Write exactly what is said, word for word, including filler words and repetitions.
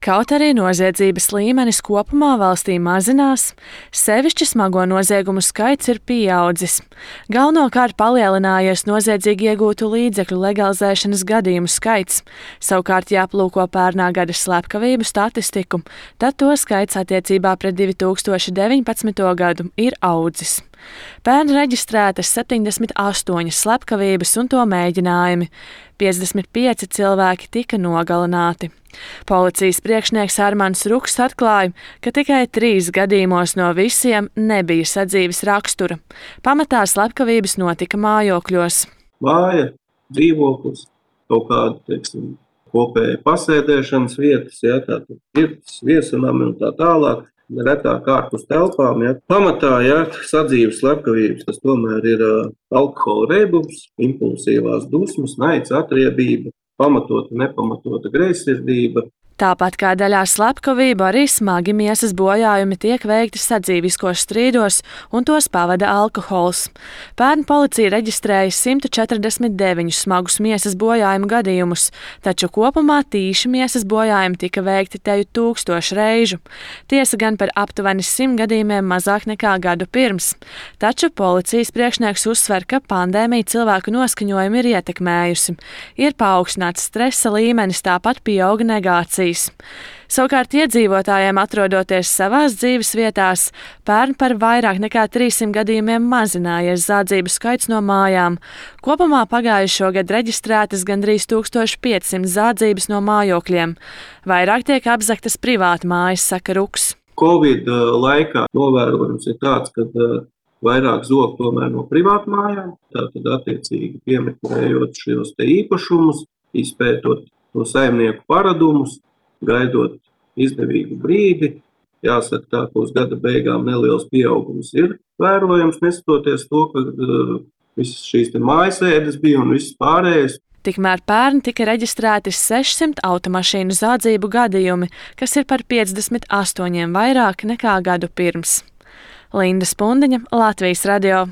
Kaut arī noziedzības līmenis kopumā valstī mazinās, sevišķi smago noziegumu skaits ir pieaudzis. Galvenokārt palielinājies noziedzīgi iegūtu līdzekļu legalizēšanas gadījumu skaits. Savukārt, ja aplūko pērnā gada slepkavību statistiku, tad to skaits attiecībā pret divi tūkstoši deviņpadsmito gadu ir audzis. Pērn reģistrētas septiņdesmit astoņas slepkavības un to mēģinājumi. piecdesmit pieci cilvēki tika nogalināti. Policijas priekšnieks Armands Rukss atklāja, ka tikai trīs gadījumos no visiem nebija sadzīves rakstura. Pamatā slepkavības notika mājokļos. Māja, dzīvoklis, kaut kāda, teiksim, kopēja pasēdēšanas vietas, ja, tātad pirtis, viesunami un tā tālāk. Retāk ārpus telpām. Ja. Pamatā, ja, sadzīves slepkavības, tas tomēr ir uh, alkohola reibums, impulsīvās dusmas, naids, atriebība, pamatota, nepamatota greizsirdība. Tāpat kā daļā slepkavību, arī smagi miesas bojājumi tiek veikti sadzīviskos strīdos, un tos pavada alkohols. Pērn policija reģistrēja simt četrdesmit deviņus smagus miesas bojājumu gadījumus, taču kopumā tīši miesas bojājumi tika veikti teju tūkstošu reižu. Tiesa gan par aptuveni simt gadījumiem mazāk nekā gadu pirms. Taču policijas priekšnieks uzsver, ka pandēmija cilvēku noskaņojumu ir ietekmējusi. Ir paaugstināts stresa līmenis, tāpat pieauga negācija. Savukārt iedzīvotājiem atrodoties savās dzīves vietās, pērn par vairāk nekā trīssimt gadījumiem mazinājies zādzību skaits no mājām. Kopumā pagājušo gadu reģistrētas gandrīz tūkstoš piecsimt zādzības no mājokļiem. Vairāk tiek apzagtas privāta mājas, saka Rukss. Covid laikā novērojums ir tāds, ka vairāk zog tomēr no privāta mājām, tātad attiecīgi piemeklējot šos te īpašumus, izpētot no saimnieku paradumus, gaidot izdevīgu brīdi. Jāsaka tā, ka uz gada beigām neliels pieaugums ir vērojams, neskatoties to, ka uh, visas šīs te mājasēdes bija un viss pārējais. Tikmēr pērn tika reģistrēti sešsimt automašīnu zādzību gadījumi, kas ir par piecdesmit astoņiem vairāk nekā gadu pirms. Linda Spundiņa, Latvijas radio.